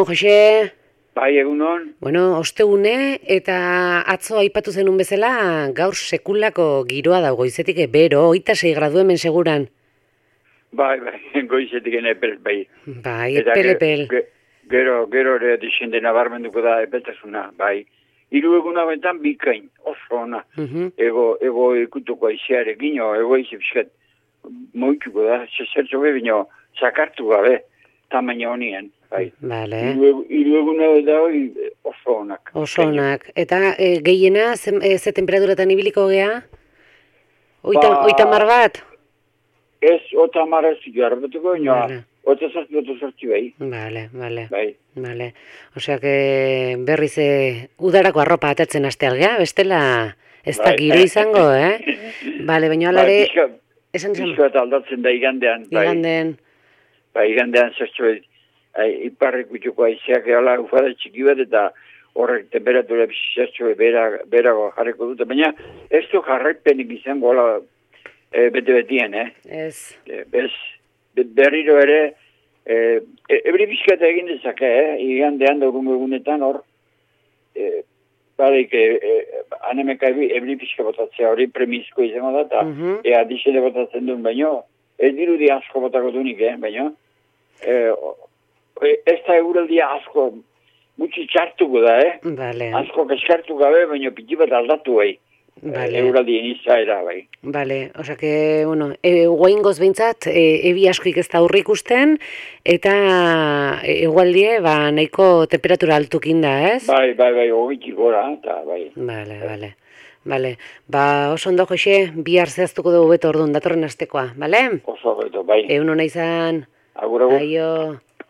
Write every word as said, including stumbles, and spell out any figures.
Egunon, Jose? Bai, egunon. Bueno, ostegune eta atzo aipatu zenun bezala, gaur sekulako giroa dago goizetik bero, hogeita sei gradu hemen seguran. Bai, bai, goizetik epel, bai. Bai, epel, epel. Ge, gero, gero ere dixende nabarmenduko da epeltasuna, bai. Hiru egun hauetan bikain, oso ona. Uh -huh. Ego, ego ikutuko aizearekin, ego aize bizkat moituko da, zertzo bebino, sakartu gabe, tamaina honien. Bai. Vale. Hiru egun da hori oso onak. Oso onak. Eta e, gehiena, ze, e, ze temperaturatan ibiliko gea? Oita, ba, oita mar bat? Ez, ota mar ez jarbetuko, ino, vale. ota zartu, ota zartu bai. Vale, vale. Bai. Vale. Osea, que berriz e, udarako arropa atatzen haste algea, bestela ez da giro izango, eh? Vale, baina alare... Bai, pixka, pixka eta aldatzen da igandean. Bai. Igandean. Bai, igandean zertxo iparrik utxuko aizeak ehala ufada txiki bat eta horrek temperatura zertxo berago jarriko dute, baina ez du jarraipenik izango hola e, bete-betien, eh? Ez. E, ez, berriro ere, e, ebri bizkata egin dezake, eh? Igandean daurun egunetan hor, e, barik, e, e, anemeka ebri bizka botatzea hori premizko izango da, eta uh -huh. ea dixele botatzen duen, baino, ez dirudi asko botako dunik, eh? Baino, e, ez da eguraldia asko gutxi txartuko da, eh? Vale. Asko kaskartu gabe, baina piti bat aldatu bai. Vale. Eguraldien izaera bai. Vale, osea que, bueno, e, guaingoz behintzat, e, ebi askoik ez da aurre ikusten, eta egualdie, ba, nahiko temperatura altukin da, ez? Bai, bai, bai, hogitik gora, eta bai. Vale, vale. Vale, ba, oso ondo, Jose, bihar zehaztuko dugu beto orduan datorren astekoa, bale? Oso beto, bai. Egun hona izan. Agur, agur. Aio.